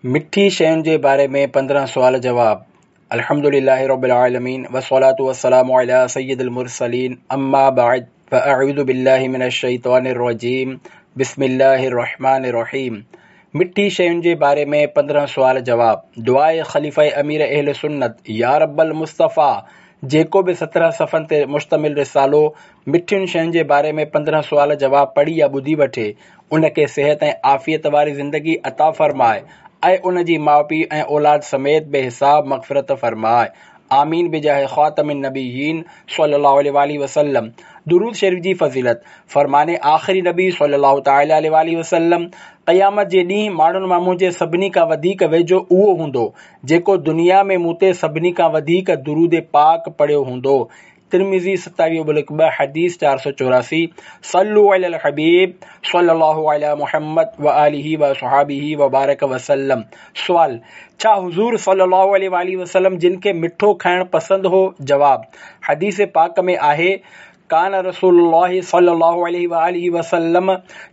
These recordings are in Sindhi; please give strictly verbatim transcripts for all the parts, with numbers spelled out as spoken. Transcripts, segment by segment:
مٺي شين جي باري ۾ پندرهن سوال جواب. الحمد لله رب العالمين والصلاة والسلام على سيد المرسلين اما بعد فاعوذ بالله من الشيطان الرجيم بسم الله الرحمن الرحيم. مٺي شين جي باري ۾ پندرهن سوال جواب. دعاء خليفه امير اهل سنت يا رب المصطفيٰ جيڪو به سترهن صفحن تي مشتمل رسالو مٺين شين جي باري ۾ پندرهن سوال جواب پڙهي يا ٻڌي وٺي، ان کي صحت ۽ عافيت واري زندگي عطا فرماء ۽ ان جي ماء پيء ۽ اولاد سميت بي حساب مغفرت فرماء. آمين بجاه خاتم النبيين صلي الله عليه واله وسلم. درود شريف جي فضيلت. فرمان آخري نبي صلي الله تعالٰي عليه واله وسلم، قيامت جي ڏينهن ماڻهن مان منهنجي سڀني کان وڌيڪ ويجهو اهو هوندو جيڪو دنيا ۾ مون تي سڀني کان وڌيڪ درود پاڪ پڙهيو هوندو. ترمذي ستاويهه ابلڪ ٻه حديث چار سؤ چوراسي. صلو علی الحبيب صلي الله علي محمد وآله وصحابه وبارڪ وسلم. سوال: ڇا حضور صلي الله عليه واله وسلم جن کي مٺو کائڻ پسند هو؟ جواب: حديث پاڪ ۾ آهي، ڪان رسول الله صلي الله عليه واله وسلم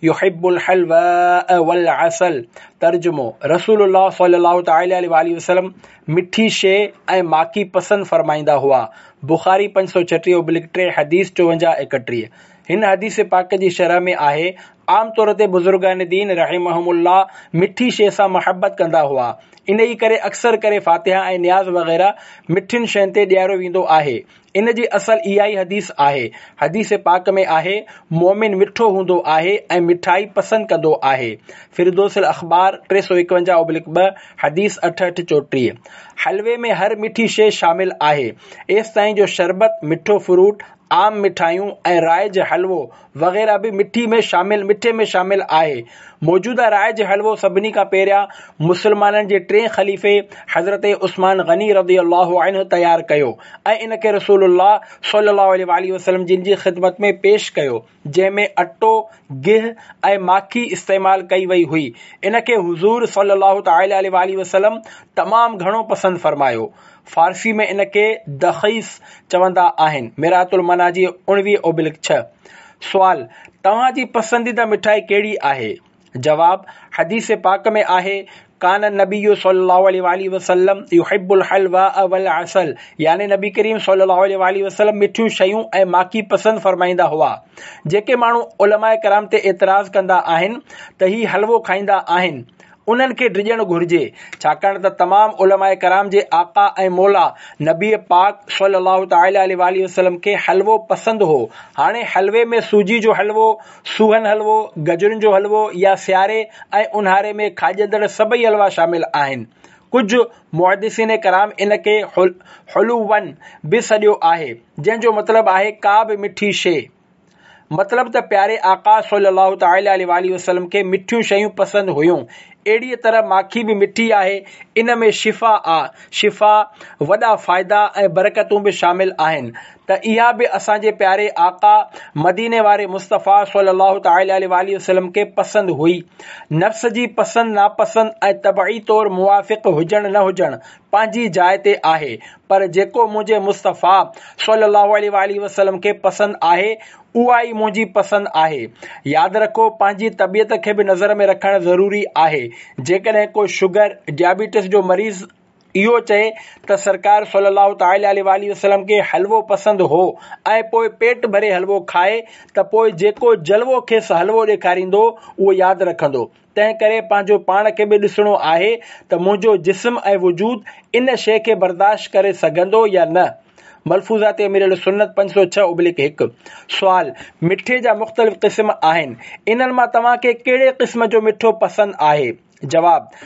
يحب الحلواء والعسل. ترجمو: رسول الله صلي الله تعالٰي عليه واله وسلم مٺي شيء ۽ ماکي پسند فرمائيندا هئا. بخاري پنج سؤ ڇٽيهه ابلڪ ٽي حديث چوونجاهه ايڪٽيهه. هن حديث پاڪ جي شرح ۾ آهي، عام طور تي بزرگان دين رحمهم الله مٺي شيء سان محبت ڪندا هئا، انهي ڪري اڪثر ڪري فاتحه ۽ نياز وغيره مٺين شين تي ڏياريو ويندو آهي. ان جي اصل اها ئي حديث آهي. حديث پاڪ ۾ آهي، مؤمن مٺو هوندو آهي ۽ مٺائي پسند ڪندو آهي. فردوس الاخبار ٽي سؤ ايڪونجاهه ابلڪ ٻه، حديث اٺهٺ چوٽيهه. حلوي ۾ هر مٺي شيء شامل آهي، ايستائين جو شربت، مٺو فروٽ، عام مٺايون ۽ رائج حلوو وغيره به مٺي ۾ شامل مٺي ۾ شامل آهي. موجوده رائج حلوو سڀني کان پهريان مسلمانن جي ٽئين خليفي حضرت عثمان غني رضي الله عنه تيار ڪيو ۽ ان کي رسول الله صلي الله عليه واله وسلم جن جي خدمت ۾ پيش ڪيو، جنهن ۾ اٽو، گيهه ۽ ماکي استعمال ڪئي وئي هئي. ان کي حضور صلي الله تعالٰي عليه واله وسلم تمام گهڻو پسند فرمايو. فارسي ۾ ان کي دخيس چوندا آهن. مرآة المناجي اڻويهه اوبلڪ ڇهه. سوال: توهان جي پسنديده مٺائي ڪهڙي آهي؟ جواب: حديث پاڪ ۾ آهي، ڪان النبي صلي الله عليه واله وسلم يحب الحلواء والعسل يعني نبي ڪريم صلي الله عليه واله وسلم مٺيون شيون ۽ ماکي پسند فرمائيندا هئا. جيڪي ماڻهو علماء ڪرام تي اعتراض ڪندا آهن ته هي حلوو کائيندا آهن، انهن کي ڊڄڻ گهرجي، ڇاڪاڻ ته تمام علماء ڪرام جي آقا ۽ مولا نبي پاڪ صلي الله تعالٰي عليه واٰله وسلم کي حلوو پسند هو. هاڻي حلوي ۾ سوجي جو حلوو، سوهن حلوو، گجرن جو حلوو يا سياري ۽ اونهاري ۾ کاڄندڙ سڀئي حلوا شامل آهن. ڪجهه محدثين ڪرام ان کي حلوا به سڏيو آهي، جنهن جو مطلب آهي ڪا به مٺي شيء. مطلب ته پياري آقا صلي الله تعالٰي عليه واٰله وسلم کي مٺيون شيون پسند هيون. اهڙيء طرح ماکي به مٺي آهي، ان ۾ شفا آ، شفا، وڏا فائدا ۽ برڪتون به شامل آهن ته اها به اسان جي پياري آقا مديني واري مصطفيٰ صلي الله تعالٰي عليه واٰله وسلم کي پسند هئي. نفس جي پسند ناپسند ۽ طبعي طور موافق هجڻ نه هجڻ پنهنجي جاء تي آهي، پر جيڪو منهنجي مصطفيٰ صلي الله عليه واٰله وسلم کي پسند آهي، اها ئي منهنجي پسند آهي. ياد رکو پنهنجي طبيعت کي به نظر ۾ رکڻ ضروري آهي. جيڪڏهن ڪو شگر، ڊيابيٽس جو مريض اهو چئي ته سرڪار صلي الله تعالٰي عليه واٰله وسلم کي حلوو پسند هو ۽ پوء پيٽ ڀري حلوو کائي ته پوء جيڪو جلوو کيس حلوو ڏيکاريندو اهو ياد رکندو. تنهن ڪري پنهنجو پاڻ کي به ڏسڻو آهي ته منهنجو جسم ۽ وجود ان شيء کي برداشت ڪري سگهندو يا نه. ملفوظات امير اهلسنت پنج سؤ ڇهه ابليڪ هڪ. سوال، مٺي جا مختلف قسم آهن، انهن مان توهان کي ڪهڙي قسم جو مٺو پسند آهي؟ جواب،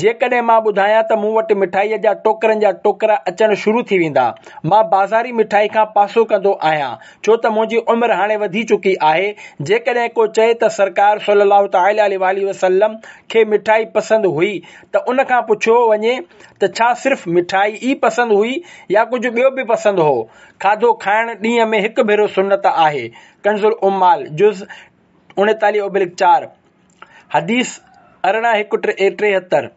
جيڪڏهن مان ٻڌايان ته مون وٽ مٺائيء جا ٽوڪرن جا ٽوڪرا اچڻ شروع ٿي ويندا. مان بازاري مٺائي کان پاسو ڪندو آهيان، ڇو ته منهنجي عمر هاڻي وڌي چڪي آهي. جيڪڏهن ڪو چئي ته سرڪار صلي الله تعالٰي عليه واٰله وسلم کي مٺائي پسند هئي ته ان کان پڇيو وڃي ته ڇا صرف مٺائي ئي پسند هئي يا ڪجهه ٻيو به پسند هو؟ کاڌو کائڻ ڏينهن ۾ هڪ ڀيرو سنت آهي. ڪنزالعمال، جز اڻيتاليهه ابلڪ چار، حديث ارڙهن هڪ ٽيهتر.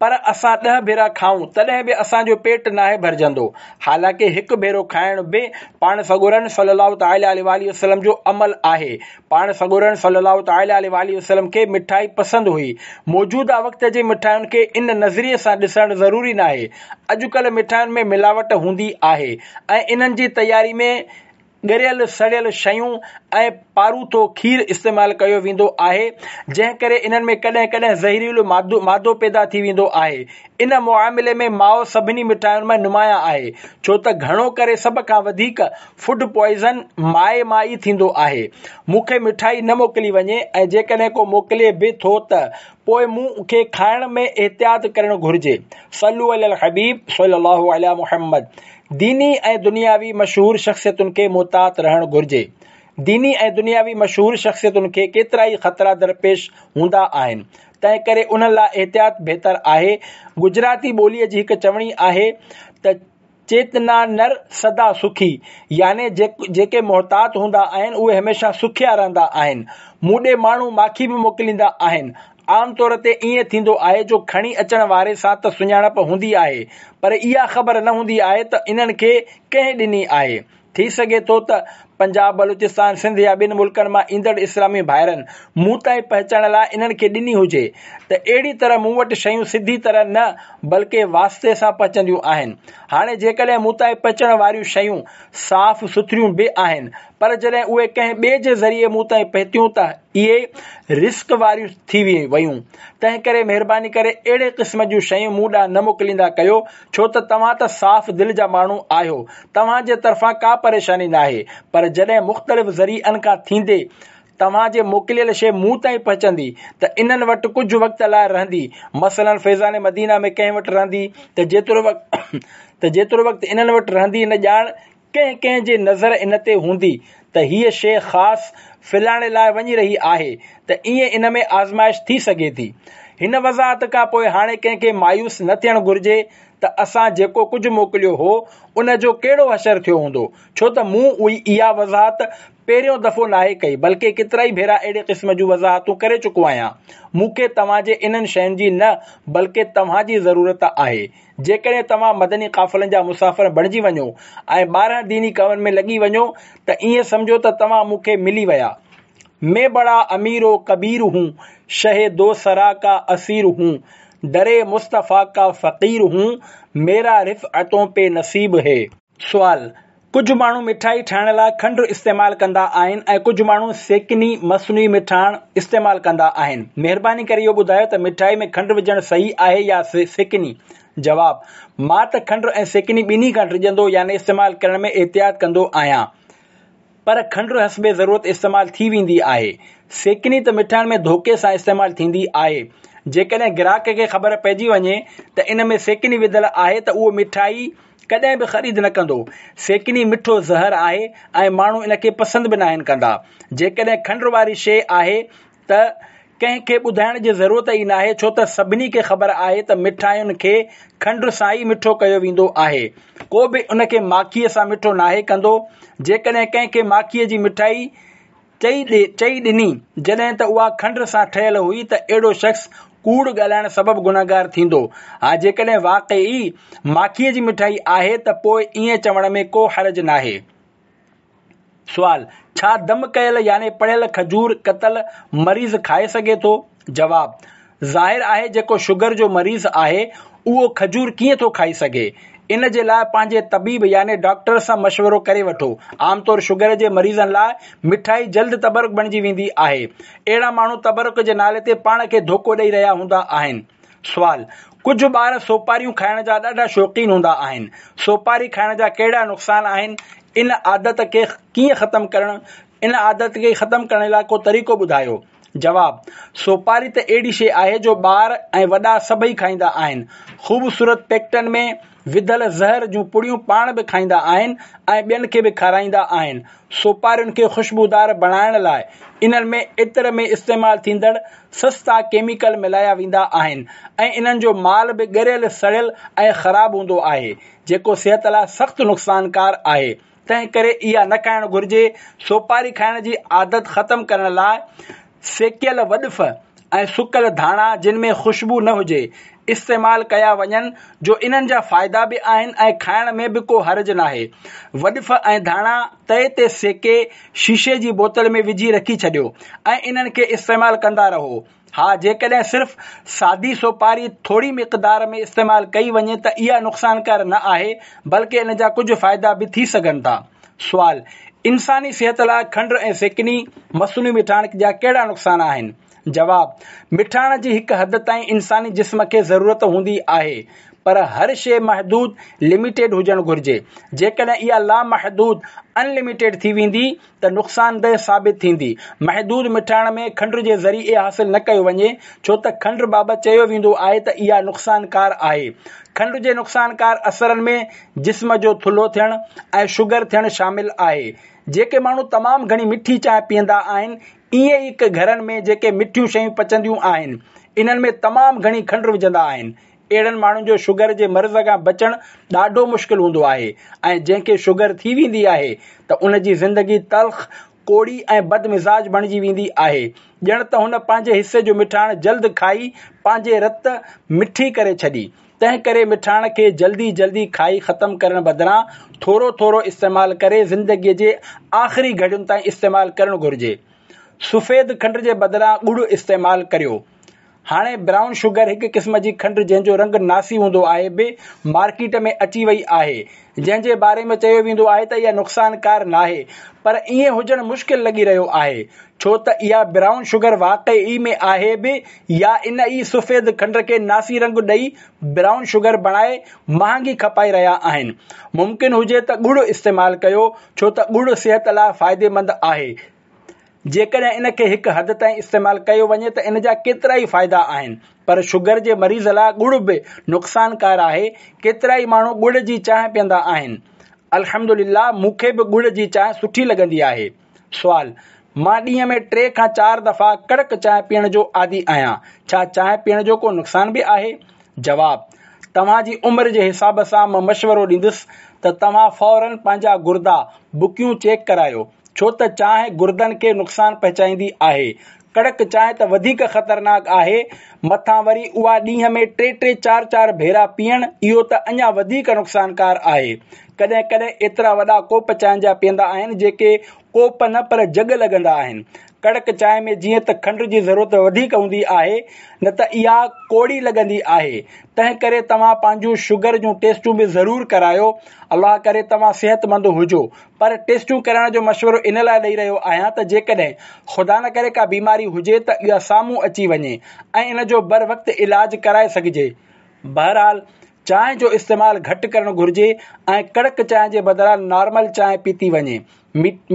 پر اسان ڏهه ڀيرا کائون تڏهن به اسان جو پيٽ ناهي ڀرجندو. حالانڪه هڪ ڀيرو کائڻ به پاڻ سڳورن صلي الله تعالٰي عليه واٰله وسلم جو عمل آهي. پاڻ سڳورن صلي الله تعالٰي عليه واٰله وسلم کي مٺائي پسند هئي. موجوده وقت جي مٺاين کي ان نظريي سان ڏسڻ ضروري ناهي. اڄڪلهه مٺاين ۾ ملاوٽ هوندي آهي ۽ انهن جي تياري ۾ ڳريل سڙيل شيون ۽ پاروٿو کير استعمال ڪيو ويندو آهي، جنهن ڪري انهن ۾ ڪڏهن ڪڏهن زهريلو مادو پيدا ٿي ويندو آهي. ان معاملي ۾ مائو سڀني مٺاين ۾ نمايان آهي، ڇو ته گهڻو ڪري سڀ کان وڌيڪ فوڊ پوائزن مائي مان ئي ٿيندو آهي. مون کي مٺائي نه موڪلي وڃي ۽ جيڪڏهن ڪو موڪلي به ٿو ته پوء مون کي کائڻ ۾ احتياط ڪرڻ گهرجي. صلو علی الحبيب صلي الله علي محمد. ديني ۽ دنياوي مشهور شخصيتن کي محتاط رهڻ گهرجي. ديني ۽ دنياوي مشهور شخصيتن کي ڪيترائي خطرا درپيش هوندا آهن، تنهن ڪري انهن لاء احتياط بهتر آهي. گجراتي ٻوليء جي هڪ چوڻي آهي ته چيتنا نر سدا سکي، يعني جيڪي محتاط هوندا آهن اهي هميشه سکيا رهندا آهن. مون ڏي ماڻهو ماکي به موڪليندا آهن. عام طور تي ائين ٿيندو آهي جو کڻي اچڻ واري سان ته سڃاڻپ هوندي آهي، پر اها خبر نه هوندي آهي ته انهن کي ڪنهن ڏني آهي. ٿي سگهي ٿو ته پنجاب، بلوچستان، سنڌ يا ٻين ملڪن مان ايندڙ اسلامي ڀائرن مون تائين پهچائڻ لاء انهن کي ڏني هجي ته اهڙي طرح مون وٽ شيون سڌي طرح نه بلڪه واسطي سان پهچنديون آهن. هاڻي جيڪڏهن مون تائين پهچڻ واريون شيون صاف سٿريون به آهن، پر جڏهن اهي ڪنهن ٻئي جي ذريعي مون تائين پهتيون ته اهي رسڪ واريون ٿي ويون. تنهن ڪري مهرباني ڪري اهڙي قسم جون شيون مون ڏانهن نه موڪليندا ڪيو، ڇو ته توهان ته صاف دل جا ماڻهو آهيو، توهان جي طرفان ڪا پريشاني ناهي، پر جڏهن مختلف ذريعن کان ٿيندي توهان جي موڪليل شيء مون تائين پهچندي ته انهن وٽ ڪجهه وقت لاء رهندي، مثلاً فيضان مدينه ۾ ڪنهن وٽ رهندي ته جيترو وقت ته جيترو وقت انهن وٽ رهندي نه ڄاڻ ڪنهن ڪنهن جي نظر ان تي هوندي ته هيء شيء خاص فلاڻي لاء وڃي رهي آهي ته ائين ان ۾ آزمائش ٿي سگهي ٿي. هن وضاحت کان پوء هاڻي ڪنهن کي مايوس نه ٿيڻ گهرجي ته اسان جيڪو ڪجهه موڪليو هو ان جو ڪهڙو حشر ٿيو هوندو، ڇو ته مون اها وضاحت پهريون دفعو ناهي ڪئي بلڪه ڪيترائي ڀيرا اهڙي قسم جون وضاحتون ڪري چڪو آهيان. مون کي توهان جي انهن شين جي نه بلڪه توهان جي ضرورت آهي. جيڪڏهن توهان مدني قافلن جا مسافر بڻجي وڃو ۽ ٻارهن ديني ڪمن ۾ لڳي وڃو ته ائين سمجهو ته توهان مون کي ملي ويا. مين بڙا امير و ڪبير هون، شه دو سرا ڪا اسير هون، در مصطفيٰ ڪا فقير هون، ميرا رفعتون پي نصيب هي. سوال، ڪجهه ماڻهو مٺائي ٺاهڻ لاء کنڊ استعمال ڪندا آهن ۽ ڪجهه ماڻهو سيڪني، مصنوعي مٺاڻ، استعمال ڪندا آهن. مهرباني ڪري اهو ٻڌايو ته مٺائي ۾ کنڊ وجهڻ صحيح آهي يا سيڪني؟ جواب، مان ته کنڊ ۽ سيڪني ٻنهي کان ڊڄندو يعني استعمال ڪرڻ ۾ احتياط ڪندو آهيان. پر کنڊ حسب ضرورت استعمال ٿي ويندي آهي. سيڪني ته مٺاين ۾ ڌوڪي سان استعمال ٿيندي آهي. جيڪڏهن گراهڪ کي خبر پئجي وڃي ته ان ۾ سيڪني وڌل آهي ته اهو مٺائي ڪڏهن به خريد نه ڪندو. سيڪني مٺو زهر آهي ۽ ماڻهو ان کي پسند به ناهن ڪندا. جيڪڏهن کنڊ واري شيء آهي ته ڪنهن کي ٻڌائڻ جي ضرورت ئي ناهي، ڇو ته سڀني کي خبر آهي ته مٺاين کي کنڊ سان ئي مٺو ڪيو ويندو آهي. ڪو به ان کي ماکيء سان مٺو ناهي ڪندو. جيڪڏهن ڪنهن کي ماکيء جي مٺائي چئي چئي ڏني جڏهن ته اها کنڊ سان ٺهيل هئي ته اهڙو شخص ڪوڙ ڳالهائڻ سبب گنهگار ٿيندو. ها جيڪڏهن واقعي ماکيء جي مٺائي آهي ته پوء ائين چوڻ ۾ ڪو حرج ناهي. سوال، ڇا دم ڪيل يعني پڙهيل کجور ڪتل مريض کائي سگهي ٿو؟ جواب، ظاهر آهي جيڪو شگر جو مريض آهي اهو کجور ڪيئن ٿو کائي سگهي؟ ان جي لاء پنهنجي طبيب يعني ڊاڪٽر سان مشورو ڪري وٺو. عام طور شگر جي مريضن لاء مٺائي جلد تبرڪ بڻجي ويندي آهي. اهڙا ماڻهو تبرڪ جي نالي تي پاڻ کي ڌوڪو ڏئي رهيا هوندا آهن. سوال، ڪجهه ٻار سوپاريون کائڻ جا ڏاڍا شوقين هوندا آهن. سوپاري کائڻ جا ڪهڙا نقصان آهن؟ ان عادت کي ڪيئن ختم ڪرڻ ان عادت کي ختم ڪرڻ لاء ڪو طريقو ٻڌايو؟ جواب، سوپاري ته اهڙي شيء آهي جو ٻار ۽ وڏا سڀئي کائيندا آهن. خوبصورت پيڪٽن ۾ وڌل زهر جون پڙيون پاڻ به کائيندا آهن ۽ ٻين کي به کارائيندا آهن. سوپارين کي خوشبودار بڻائڻ لاء انهن ۾ عطر ۾ استعمال ٿيندڙ سستا ڪيميڪل ملايا ويندا آهن ۽ انهن جو مال به ڳريل سڙيل ۽ خراب هوندو آهي، جيڪو صحت لاء سخت نقصانڪار آهي. تنهن ڪري اها نه کائڻ گهرجي. سوپاري کائڻ جي عادت ختم ڪرڻ لاء سيڪيل وڏف ۽ سڪل ڌاڻا جن ۾ خوشبو نه هجي، استعمال ڪيا وڃن جو انهن جا فائدا به آهن ۽ کائڻ ۾ به ڪو حرج ناهي. وڏف ۽ ڌاڻا تئي تي سيڪي شيشي جي بوتل ۾ وجهي رکي ڇڏيو ۽ انهن کي استعمال ڪندا رهو. ها جيڪڏهن صرف سادي سوپاري ٿوري مقدار ۾ استعمال ڪئي وڃي ته اها نقصانڪار نه آهي بلڪه ان جا ڪجهه فائدا به ٿي سگهن ٿا. سوال، انساني صحت لاء کنڊ ۽ سيڪني، مصنوعي مٺاڻ، جا ڪهڙا نقصان آهن؟ جواب، مٺاڻ جي هڪ حد تائين انساني جسم کي ضرورت هوندي آهي پر هر شيء محدود، Limited، هجڻ گهرجي. جيڪڏهن اها لامحدود، Unlimited، ٿي ويندي ته نقصانده ثابت ٿيندي. محدود مٺاڻ ۾ کنڊ جي ذريعي حاصل نه ڪيو وڃي ڇو ته کنڊ بابت چيو ويندو آهي ته اها نقصانڪار آهي. کنڊ جي نقصانڪار اثرن ۾ جسم جو ٿلهو ٿيڻ ۽ شگر ٿيڻ شامل آهي. جيڪي ماڻهو تمام گهڻي مٺي چانهه پيئندا آهن ائين ئي گهرن ۾ جيڪي مٺيون شيون پچنديون آهن، انهن ۾ تمام گهڻي کنڊ وجهندا آهن. اهڙن ماڻهن جو شگر جي مرض کان بچڻ ڏاڍو مشڪل هوندو آهي ۽ جنهن کي شگر ٿي ويندي آهي ته ان جي زندگي تلخ، ڪوڙي ۽ بدمزاج بڻجي ويندي آهي. ڄڻ ته هن پنهنجي حصي جو مٺاڻ جلد کائي پنهنجي رت مٺي ڪري ڇڏي. تنهن ڪري مٺاڻ کي جلدي جلدي کائي ختم ڪرڻ بدران ٿورو ٿورو استعمال ڪري زندگي جي آخري گهڙين تائين استعمال ڪرڻ گهرجي. سفيد کنڊ جي بدران ڳڙ استعمال ڪريو. هاڻي برائون شگر هڪ قسم جي کنڊ جنهن جو رنگ ناسي هوندو آهي به مارڪيٽ ۾ اچي وئي آهي جنهن جي باري ۾ چيو ويندو آهي ته اها نقصانڪار ناهي پر ائين هجڻ مشڪل لڳي رهيو آهي ڇو ته اها برائون شگر واقعي ۾ آهي به يا ان ئي سفيد کنڊ کي ناسي رنگ ڏئي برائون شگر بڻائي مهانگي کپائي رهيا آهن. ممڪن هجي ته ڳڙ استعمال ڪيو ڇو ته ڳڙ صحت لاء فائديمند آهي. جيڪڏهن ان کي هڪ حد تائين استعمال ڪيو وڃي ته ان جا ڪيترائي فائدا آهن پر شگر جي مريض لاء ڳڙ به نقصانڪار آهي. ڪيترائي ماڻهو ڳڙ جي چانهه پيئندا آهن. الحمدلله مون کي به ڳڙ جي چانهه سٺي لڳندي آهي. سوال، مان ڏينهن ۾ ٽي کان چار دفعا ڪڙڪ چانهه پيئڻ جو عادي آهيان، ڇا چانهه پيئڻ جو ڪو نقصان به آهي؟ جواب، توهان جي عمر جي حساب سان مان مشورو ڏيندس ته توهان فورن پنهنجا گردا، بڪيون چيڪ ڪرايو، ڇو ته چانهه گردن کي نقصان پهچائيندي آهي. ڪڙڪ چانهه ته وڌيڪ خطرناڪ آهي، مٿان وري اها ڏينهن ۾ ٽي ٽي چار چار ڀيرا پيئڻ اهو ته اڃا وڌيڪ نقصانڪار آهي. ڪڏهن ڪڏهن ايترا وڏا ڪوپ چانهه جا پيئندا آهن جيڪي ڪوپ نه پر جڳ لڳندا آهن. ڪڙڪ چانهه ۾ جيئن ته کنڊ جي ضرورت وڌيڪ هوندي آهي نه ته اها ڪوڙي لڳندي آهي تنهن ڪري توهان پنهنجون شگر جون ٽيسٽون به ضرور ڪرايو. الله ڪري توهان صحتمند هجو پر ٽيسٽون ڪرائڻ جو مشورو ان لاء ڏئي رهيو آهيان ته جيڪڏهن خدا نه ڪري ڪا بيماري هجي ته اها سامهون اچي وڃي ۽ ان جو بروقت علاج ڪرائي سگهجي. بهرحال چانهه جو استعمال گهٽ ڪرڻ گهرجي ۽ ڪڙڪ چانهه جي بدران نارمل چانهه پيتي وڃي.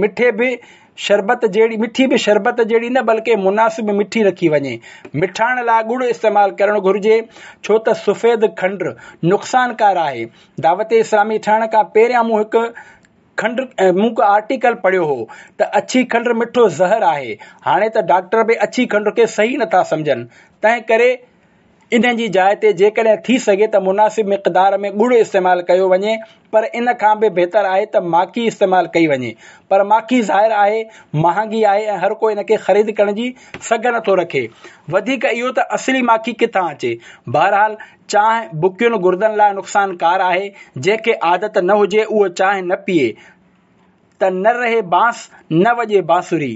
مٺي به شربت جهڙي مٺي به شربت جهڙي نه بلڪه مناسب مٺي رکي وڃي. مٺاڻ لاء ڳڙ استعمال ڪرڻ گهرجي ڇو ته سفيد کنڊ نقصانڪار آهي. دعوت اسلامي ٺهڻ کان پهريان مون هڪ کنڊ مون هڪ آرٽيڪل پڙهيو هو ته اڇي کنڊ مٺو زهر آهي. هاڻي ته ڊاڪٽر به اڇي کنڊ کي صحيح نٿا سمجهن تنهن ڪري ان جي جاء تي جيڪڏهن ٿي سگهي ته مناسب مقدار ۾ ڳڙ استعمال ڪيو وڃي پر ان کان به بهتر آهي ته ماکي استعمال ڪئي وڃي پر ماکي ظاهر آهي مهانگي آهي ۽ هر ڪو ان کي خريد ڪرڻ جي سگهه نٿو رکي وڌيڪ اهو ته اصلي ماکي ڪٿان اچي بهرحال چانهه بڪين گردن لاء نقصانڪار آهي جنهن کي عادت نه هجي اهو چانهه نه پيئي ته نه رهي بانس نه وڄي بانسري.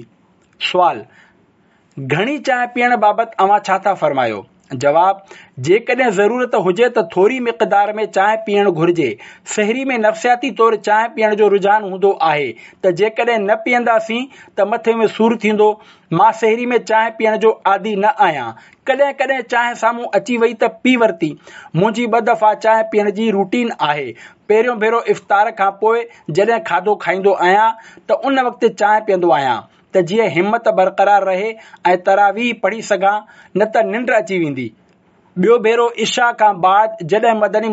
سوال، گهڻي چانهه پيئڻ بابت اوهان ڇا ٿا فرمايو؟ جواب، جيڪڏهن ضرورت هجي ته ٿوري مقدار ۾ چانهه پيئڻ گهرجي. سحري ۾ نفسياتي طور چانهه پيئڻ جو رجحان هوندو آهي ته جيڪڏهن نه پيئنداسين ته مٿي ۾ سور ٿيندو. مان سحري ۾ چانهه پيئڻ جو عادي نه آهيان. ڪڏهن ڪڏهن چانهه سامهون اچي وئي ته پي ورتي. منهنجي ٻه دفعا چانهه پيئڻ جي روٽين آهي. پهريون ڀيرو افطار کان پوء جڏهن کاڌو کائيندو آهيان ته ان وقت چانهه پيئندو آهيان. ته جيئن همت برقرار رهي ۽ تراويح پڙهي سگهان نه ته ننڊ اچي ويندي. ٻيو ڀيرو عشاء کان بعد جڏهن مدني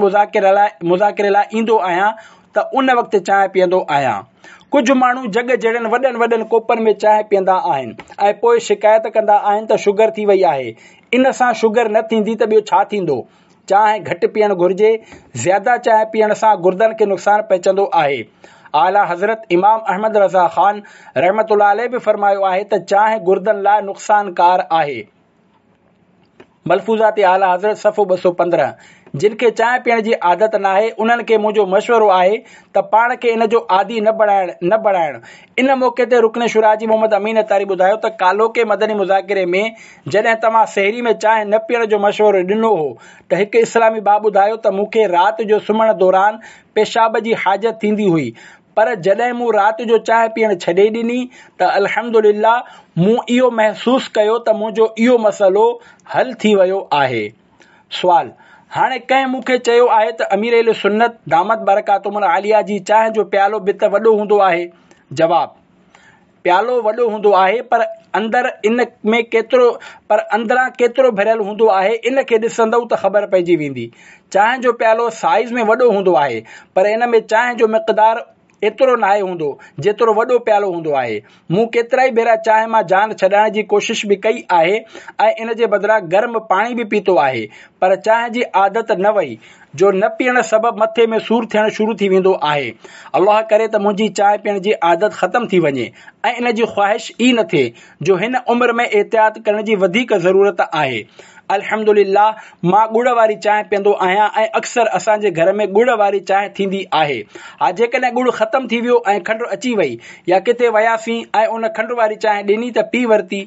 مذاڪري لاء ايندو آهيان ته ان وقت چانهه پيئندو آهيان. ڪجهه ماڻهو جڳ جهڙن وڏن وڏن ڪوپن ۾ چانهه پيئندا آهن ۽ پوء شڪايت ڪندا آهن ته شگر ٿي وئي آهي. ان سان شگر نه ٿيندي ته ٻيو ڇا ٿيندو؟ چانهه گهٽ پيئڻ گهرجي، زياده چانهه پيئڻ سان گردن کي نقصان پهچندو آهي. اعليٰ حضرت امام احمد رضا خان رحمة الله عليه به فرمايو آهي ته چانهه گردن لاء نقصانڪار آهي. ملفوظات اعليٰ حضرت صفحو ٻه سؤ پندرهن. جن کي چانهه پيئڻ جي عادت ناهي، انهن کي منهنجو مشورو آهي ته پاڻ کي ان جو عادي نه بڻائڻ نه بڻائڻ. ان موقعي تي رڪن شوريٰ حاجي محمد امين عطاري ٻڌايو ته ڪالهوڪي مدني مذاڪري ۾ جڏهن توهان سحري ۾ چانهه نه پيئڻ جو مشورو ڏنو هو ته هڪ اسلامي ڀاء ٻڌايو ته مون کي رات جو سمهڻ دوران پيشاب جي حاجت ٿيندي هئي، پر جڏهن مون رات جو چانهه پيئڻ ڇڏي ڏني ته الحمدلله مون اهو محسوس ڪيو ته منهنجو اهو مسئلو حل ٿي ويو آهي. سوال، هاڻي ڪنهن مون کي چيو آهي ته امير اهل سنت دامت برڪاتهم العاليه جي چانهه جو پيالو به ته وڏو هوندو آهي. جواب، پيالو وڏو هوندو آهي پر اندر ان ۾ ڪيترو پر اندران ڪيترو ڀريل هوندو آهي ان کي ڏسندؤ ته خبر پئجي ويندي. چانهه جو پيالو سائيز ۾ وڏو هوندو آهي پر ان ۾ چانهه جو مقدار ايترو ناهي هوندو جيترو وڏو پيالو هوندو آهي. مون ڪيترائي ڀيرا چانهه مان جان ڇڏائڻ جي ڪوشش به ڪئي آهي ۽ ان جي بدران گرم پاڻي به پيتو آهي پر چانهه جي عادت نه وئي جو نه پيئڻ سبب مٿي ۾ سور ٿيڻ شروع ٿي ويندو آهي. الله ڪري ته منهنجي چانهه پيئڻ جي عادت ختم ٿي وڃي ۽ ان جي خواهش ئي نه ٿئي جو هن عمر ۾ احتياط ڪرڻ جي وڌيڪ ضرورت آهي. الحمدلله مان ڳڙ واري چانهه پيئندو آهيان ۽ اڪثر اسان جي گهر ۾ ڳڙ واري چانهه ٿيندي آهي. ها جيڪڏهن ڳڙ ختم ٿي ويو ۽ کنڊ اچي وئي يا ڪٿي وياسين ۽ ان کنڊ واري چانهه ڏني ته پي ورتي.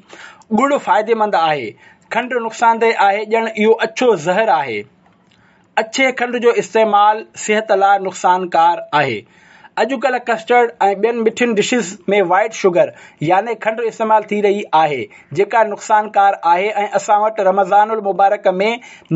ڳڙ فائديمند آهي، کنڊ نقصانده آهي، ڄڻ اهو اڇو زهر آهي. اڇي کنڊ جو استعمال صحت لاء نقصانڪار آهي. اڄڪلهه ڪسٽرڊ ۽ ٻين مٺين ڊشز ۾ وائيٽ شگر يعني کنڊ استعمال ٿي رهي آهي جيڪا نقصانڪار آهي ۽ اسان وٽ رمضان المبارڪ ۾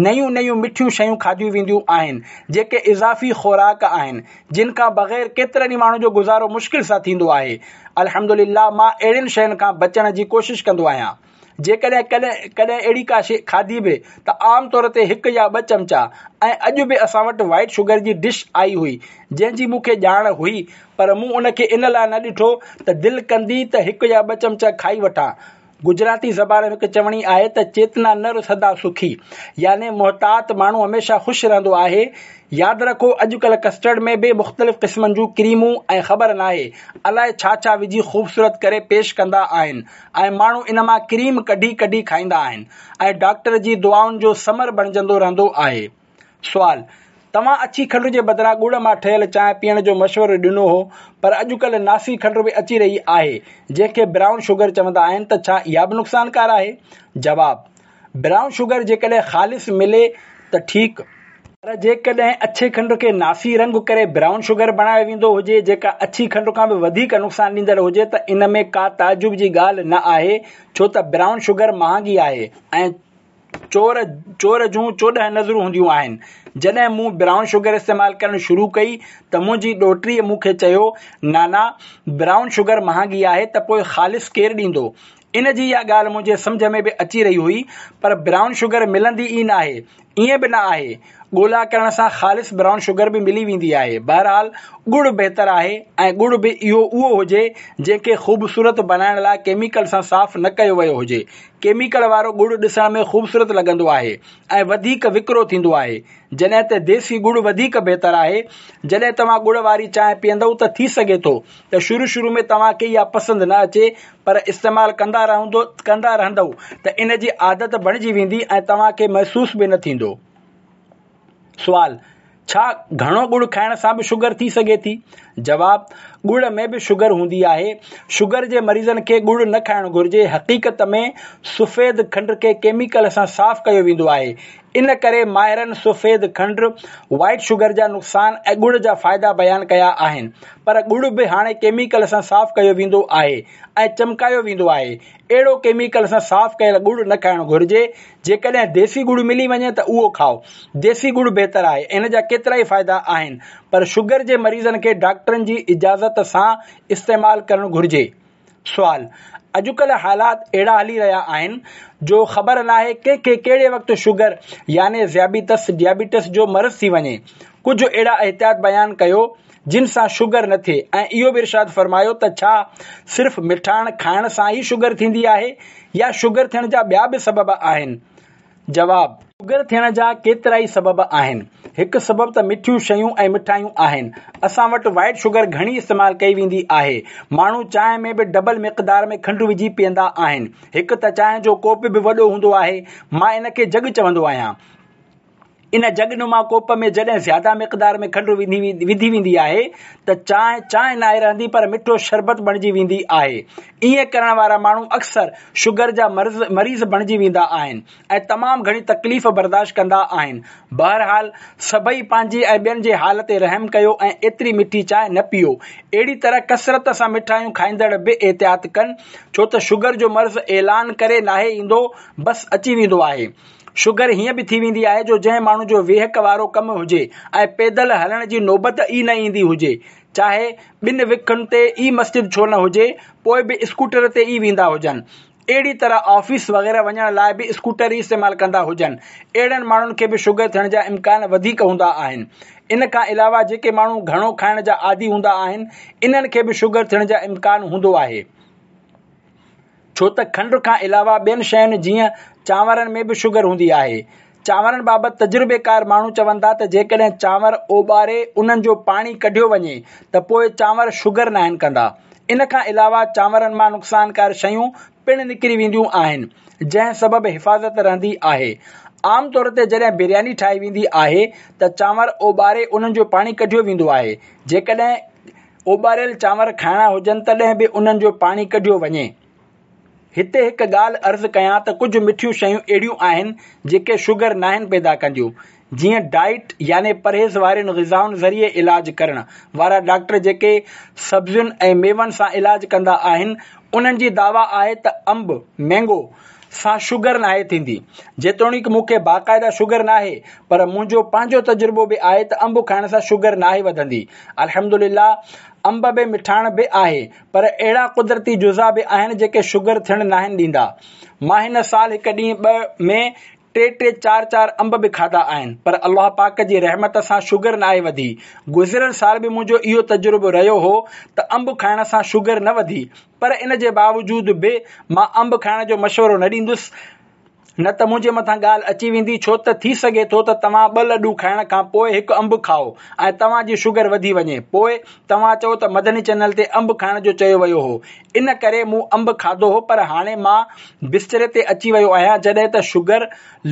نيون نيون مٺيون شيون کاڌيون وينديون آهن جيڪي اضافي خوراڪ آهن جن کان بغير ڪيترن ئي ماڻهن جو گذارو مشڪل سان ٿيندو آهي. الحمدلله مان اهڙين شين کان بچڻ جي ڪوشش ڪندو آهيان. جيڪڏهن ڪڏهن ڪڏهن اهڙي ڪا شيء کاڌي به ته عام طور تي هڪ يا ٻه چمچا ۽ اڄ به اسان وٽ وائيٽ شگر جي ڊش آئي هئي جنهن جي مون کي ڄاڻ هئي پر مون ان کي ان لاء نه ڏٺو ته دل ڪندي ته هڪ يا ٻه چمچا کائي وٺان. گجراتي زبان ۾ هڪ چوڻي آهي ته چيتنا نر سدا سکي يعني محتاط ماڻهو هميشه خوش رهندو آهي. ياد رکو اڄڪلهه ڪسٽرڊ ۾ به مختلف قسمن جون ڪريمون ۽ خبر ناهي الائي ڇا ڇا وجهي خوبصورت ڪري پيش ڪندا آهن ۽ ماڻهو ان مان ڪريم ڪڍي ڪڍي کائيندا آهن ۽ ڊاڪٽر جي دعائن جو ثمر بڻجندو رهندو آهي. سوال، توهان اڇي کنڊ جي بدران ڳڙ مان ٺهيل چانهه پيئڻ جو مشورو ڏنو هو پر اڄڪلهه ناسي کنڊ به اچي رهي آهي جنهن کي برائون شگر چوندا آهن ته ڇا اها به نقصانڪار آهي؟ جواب، برائون شگر جيڪڏهن خالص ملي ته ٺيڪ، پر جيڪڏهن اڇي کنڊ کي ناسي رنگ ڪري برائون شگر بڻايو ويندو هجي جيڪا اڇي کنڊ کان به وڌيڪ نقصان ڏيندڙ هجي ته ان ۾ ڪا تعجب جي ڳالهه نه آهي ڇو ته برائون شگر مهانگي آهي ۽ چور چور جون چوڏهن نظرون هونديون آهن. جڏهن مون برائون شگر استعمال ڪرڻ شروع ڪئي ته منهنجي ڏوهٽيء مون کي چيو، نانا برائون شگر مهانگي آهي ته پوء خالص ڪير ڏيندو؟ ان جي اها ڳالهه منهنجي سمجهه ۾ به اچي رهي هئي پر برائون شگر ملندي ئي ناهي ائين به نه آهي. ڳولا ڪرڻ سان خالص برائون شگر به ملي ويندي آهي. بهرحال ڳڙ بهتر آهي ۽ ڳڙ به اهو اهو هجي جنهن کي خوبصورت بنائڻ لاء ڪيميڪل سان صاف نه ڪيو ويو هجي. ڪيميڪل وارو ڳڙ ڏسڻ ۾ خوبصورت لڳندو آهي ۽ وڌيڪ وڪرو ٿيندو آهي جڏهن ته ديسي ڳڙ وڌيڪ بهتر آهي. جڏهن توهان ڳڙ واري چانهه پيئندؤ ته ٿي سگهي ٿو ته شروع شروع ۾ توهان کي اها پسند نه اچي پر استعمال ڪندا رهندو ڪندا رهندؤ ته ان جي عادت بڻجي ويندي ۽ توهان کي محسوس به نه ٿيندو. سوال، ڇا گهڻو ڳڙ کائڻ سان به شگر ٿي سگهي ٿي؟ جواب، ڳڙ ۾ به شگر هوندي آهي. شگر جي مريضن کي ڳڙ نه کائڻ گهرجي. حقيقت ۾ سفيد کنڊ کي ڪيميڪل سان صاف ڪيو ويندو آهي. ان ڪري ماهرن سفيد کنڊ، وائيٽ شگر، جا نقصان ۽ ڳڙ جا فائدا بيان ڪيا آهن. پر ڳڙ به هاڻي ڪيميڪل سان صاف ڪيو ويندو آهي ۽ چمڪايو ويندو آهي. اهڙو ڪيميڪل سان صاف ڪيل ڳڙ نه کائڻ گهرجي. جيڪڏهن ديسي ڳڙ ملي وڃي ته اهو کائو. ديسي ڳڙ بهتر آهي. ان جا ڪيترائي فائدا آهن. پر شگر جي مريضن کي ڊاڪٽرن جي اجازت سان استعمال ڪرڻ گهرجي. سوال، اڄڪلهه حالات اهڙا هلي رهيا آهن جو خبر ناهي ڪنهن کي ڪهڙي وقت شگر يعني ذيابيطس، Diabetes، جو مرض ٿي وڃي. ڪجهه اهڙا احتياط بيان ڪيو جن سان شگر نه ٿئي ۽ اهو به ارشاد فرمايو ته ڇا صرف مٺاڻ کائڻ سان ئي شگر ٿيندي آهي يا شگر ٿيڻ جا ٻيا به سبب آهن؟ جواب. شگر ٿيڻ جا ڪيترائي سبب آهن. هڪ سبب ته مٺيون شيون ۽ مٺايون آهن. اسان وٽ وائيٽ شگر گهڻي استعمال ڪئي ويندي آهي. ماڻهو چانهه ۾ به ڊبل مقدار ۾ کنڊ وجهي پيئندا آهن. هڪ ته چانهه جو ڪوپ به وڏو هوندو آهي، مان ان کي جڳ چوندو آهيان. ان جڳ نما ڪوپ ۾ جڏهن زياده مقدار ۾ کنڊ وڌي ويندي آهي ته چانهه چانهه ناهي رهندي پر مٺو شربت بڻجي ويندي آهي. ائين ڪرڻ وارا ماڻهو اڪثر شگر جا مريض بڻجي ويندا آهن ۽ تمام گهڻي تڪليف برداشت ڪندا آهن. بهرحال سڀئي پنهنجي ۽ ٻين جي حال تي رحم ڪيو ۽ ايتري مٺي چانهه نه پيئو. اهڙي طرح ڪثرت سان مٺايون کائيندڙ به احتياط ڪن، ڇو ته شگر جو مرض اعلان ڪري ناهي ايندو، بس اچي ويندو آهي. شگر هيئن به ٿي ويندي آهي جو جنهن ماڻهو جو ويهڪ وارو ڪم هجي ۽ پيدل هلڻ جي نوبت ئي نه ايندي هجي، چاهي ٻن وکن تي ئي مسجد ڇو نه هجي، پوء به اسڪوٽر تي ئي ويندا هجن. اهڙي طرح آفيس وغيره وڃڻ لاء به اسڪوٽر ئي استعمال ڪندا هجن. اهڙن ماڻهن کي به شگر ٿيڻ جا امڪان وڌيڪ هوندا آهن. ان کان علاوه جيڪي ماڻهو گهڻو کائڻ جا عادي هوندا آهن، انهن کي به شگر ٿيڻ جا امڪان هوندو آهي. ڇو ته کنڊ کان علاوه ٻين شين جيئن چانورن ۾ به شگر هوندي آهي. چانورن بابت تجربيڪار ماڻهو چون ٿا ته جيڪڏهن چانور اوٻاري انهن جو پاڻي ڪڍيو وڃي ته پوء چانور شگر ناهن ڪندا. ان کان علاوه چانورن مان نقصانڪار شيون پڻ نڪري وينديون آهن، جنهن سبب حفاظت رهندي آهي. عام طور تي جڏهن برياني ٺاهي ويندي آهي ته چانور اوٻاري انهن جو پاڻي ڪڍيو ويندو آهي. جيڪڏهن اوٻاريل چانور کائڻا هجن تڏهن به انهن جو پاڻي ڪڍيو وڃي. هتي هڪ ڳالهه عرض ڪيان ته ڪجهه مٺيون شيون اهڙيون آهن جيڪي شگر ناهن پيدا ڪنديون، جيئن ڊائيٽ يعني پرهيز وارين غذائن ذريعي علاج ڪرڻ وارا ڊاڪٽر جيڪي سبزين ۽ ميون سان علاج ڪندا آهن، انهن جي دعويٰ آهي ته انب، مينگو، سان شگر ناهي ٿيندي. جيتوڻيڪ مون کي باقاعده شگر ناهي، پر منهنجو پنهنجو تجربو به آهي ته انب کائڻ سان شگر ناهي وڌندي. الحمدلله انب ۾ مٺاڻ به آهي، پر اهڙا قدرتي جزا به آهن جيڪي شگر ٿيڻ ناهن ڏيندا. مان هن سال هڪ ڏينهن ٻه ۾ ٽي ٽي چار چار انب به کاڌا آهن، پر الله پاڪ جي رحمت سان شگر ناهي وڌي. گذريل سال به منهنجو اهو تجربو رهيو هو ته انب کائڻ سان شگر نه وڌي، پر ان جي باوجود به مان انب کائڻ جو مشورو نه ڏيندس، نه ته منهنجي مٿان ڳالهه اچي ويندي، ڇو ته ٿي سگهي ٿو ته توهان ٻه لڏون کائڻ کان پوء هڪ انب کائو ۽ توهان جي شگر وڌي وڃي، پوء توهان چئو ته مدني چينل تي انب کائڻ جو چيو ويو هو، ان ڪري مون انب کاڌو هو، پر هاڻي مان بستري تي اچي ويو آهيان، جڏهن ته شگر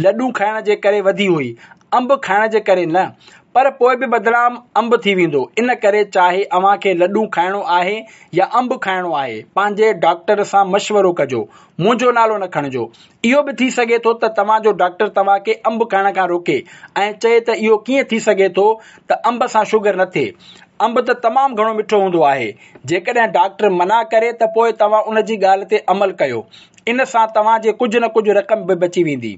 لڏون کائڻ جي ڪري وڌي هئي، انب کائڻ جي ڪري نه، پر پوء به بدنام انب ٿي ويندو، ان ڪري چاهي اوهان کي لڏون کائڻو آهي يا انب کائڻو آهي، پنهنجي ڊاڪٽر سان مشورو ڪجو، منهنجو نالو نه کڻجو. اهو به ٿي سگهي ٿو ته توهان جو ڊاڪٽر توهان کي انب کائڻ کان روڪي ۽ چئي ته اهو ڪيئن ٿي سگهي ٿو ته انب سان شگر نه ٿئي، انب ته تمام گهڻو مٺو هوندو آهي. جيڪڏهن ڊاڪٽر منع ڪري ته پوء توهان ان جي ڳالهه تي عمل ڪيو، ان سان توهان جي ڪجهه نه ڪجهه رقم به بچي ويندي.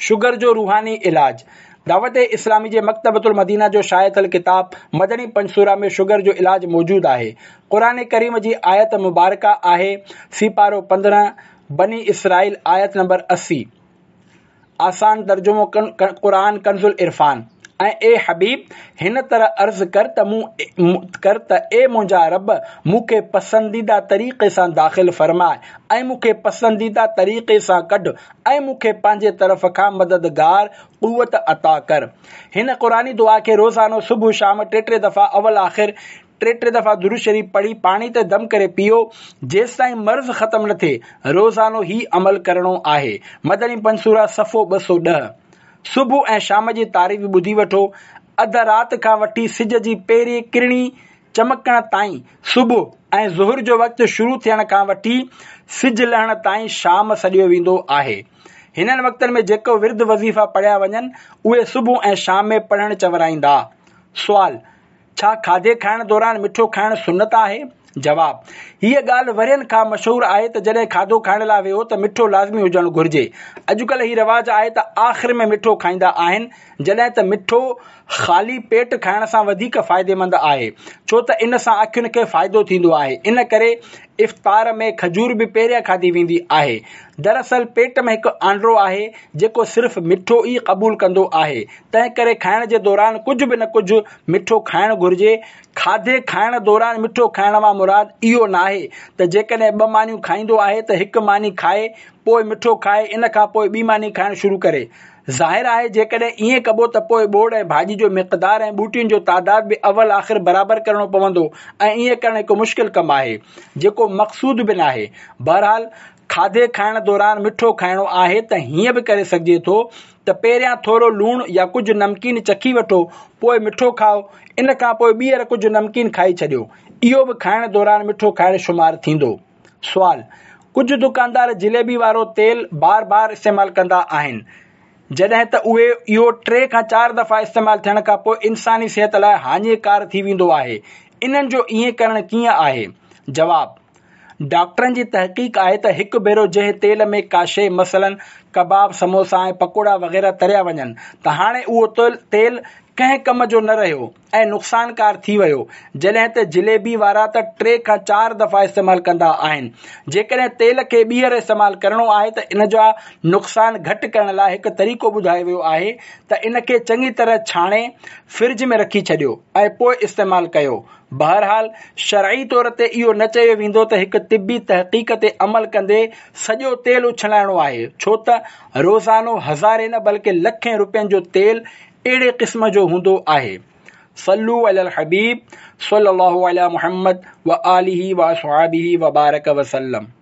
شگر جو روحاني علاج، دعوت اسلامي جي مڪتبة المدينه جو شايع ٿيل ڪتاب مدني پنجسوره ۾ شگر جو علاج موجود آهي. قرآن ڪريم جي آيت مبارڪه آهي، سيپارو پندرهن، بني اسرائيل آيت نمبر اسي. آسان ترجمو قرآن ڪنز العرفان. ۽ اي حبيب! هن طرح عرض ڪر ته مون ڪر ته اي منهنجا رب! مون کي پسنديده طريقي سان داخل فرماء ۽ مون کي پسنديده طريقي سان ڪڍ ۽ مون کي پنهنجي طرف کان مددگار قوت عطا ڪر. هن قرآني دعا کي روزانو صبح شام ٽي ٽي دفعا اول آخر ٽي ٽي دفعا درود شريف پڙهي پاڻي تي دم ڪري پيئو، جيستائين مرض ختم نه ٿئي، روزانو هي عمل ڪرڻو آهي. مدني پنسوره صفحو ٻه سؤ ڏهه. صبح ۽ شام جي تعريف ٻڌي وٺو. اڌ رات کان وٺي سج جي پهرين ڪرڻي چمڪڻ تائين صبح ۽ ظهر جو وقت شروع ٿيڻ کان وٺي سج لهڻ تائين شام سڏيو ويندو آهي. هنن وقتن ۾ جيڪو ورد وظيفا پڙهيا وڃن، اهي صبح ۽ شام ۾ پڙهڻ چورائيندا. سوال، ڇا کاڌي کائڻ دوران مٺو کائڻ سنت آهي؟ جواب، هيء ڳالهه ورهين کان مشهور آهي ته جڏهن کاڌو کائڻ لاء ويهو ته مٺو لازمي هجڻ گهرجي. اڄڪلهه هي رواج آهي ته آخر ۾ مٺو کائيندا آهن، جڏهن ته مٺو خالي پيٽ کائڻ سان وڌيڪ فائديمند آهي، ڇو ته ان سان اکين کي فائدو ٿيندو آهي، ان ڪري افطار ۾ کجور به پهريان کاڌي ويندي آهي. دراصل پيٽ ۾ هڪ آنڊرو آهي، جيڪو صرف مٺو ئي قبول ڪندو آهي، تنهن ڪري کائڻ جي دوران ڪجهه به نه ڪجهه مٺو کائڻ گهرجي. کاڌي کائڻ دوران مٺو کائڻ مان مراد اهو ناهي ته جيڪڏهن ٻه مانيون کائيندو آهي ته هڪ ماني کائي پوء مٺو کائي ان کان پوء ٻي ماني کائڻ شروع ڪري. ظاهر آهي جيڪڏهن ائين ڪبو ته پوء ٻوڙ ۽ ڀاڄي جو مقدار ۽ ٻوٽين جو تعداد به اول آخر برابر ڪرڻو پوندو ۽ ائين ڪرڻ هڪ مشڪل ڪم آهي، جيڪو مقصود به ناهي. بهرحال کاڌي کائڻ دوران مٺو کائڻو آهي ته هيئن به ڪري سگهجي ٿو ته پهريان ٿورو لوڻ يا ڪجهه نمڪين چکي وٺو، پوء مٺو کائو، ان کان پوء ٻيهر ڪجهه نمڪين کائي ڇڏيو. اهو به کائڻ دوران مٺو کائڻ شمار ٿيندو. سوال، ڪجهه دڪاندار جليبي وارو تيل بار بار استعمال ڪندا آهن، جڏهن ته اهي اهو ٽي کان چار دفعا استعمال ٿيڻ کان پوء انساني صحت لاء هاڃيڪار ٿي ويندو آهي، انهن جو ائين ڪرڻ ڪيئن آهي؟ جواب، ڊاڪٽرن جي تحقيق آهي ته هڪ ڀيرو جنهن تيل ۾ ڪا شيء مثلاً ڪباب، سموسا ۽ پڪوڙا وغيره تريا وڃن ته هاڻي اهو تيل ڪنهن ڪم جو نه رهيو ۽ نقصانڪار ٿي ويو، جڏهن ته جليبي وارا ته ٽي کان چار دفعا استعمال ڪندا آهن. جيڪڏهن تيل کي ٻيهر استعمال ڪرڻو آهي ته ان جا نقصان گهٽ ڪرڻ لاء هڪ طريقو ٻڌايو ويو آهي ته ان کي چڱي طرح ڇاڻي فرج ۾ رکي ڇڏيو ۽ پوء استعمال ڪيو. بهرحال شرعي طور تي اهو نه چيو ويندو ته هڪ طبي تحقيق تي عمل ڪندي سڄو تيل اڇلائڻو آهي، ڇو ته روزانو هزارين نه بلڪه لکين روپين جو تيل اهڙي قسم جو هوندو آهي. صلو علی الحبيب صلي الله علي محمد وآله واصحابه وبارڪ وسلم.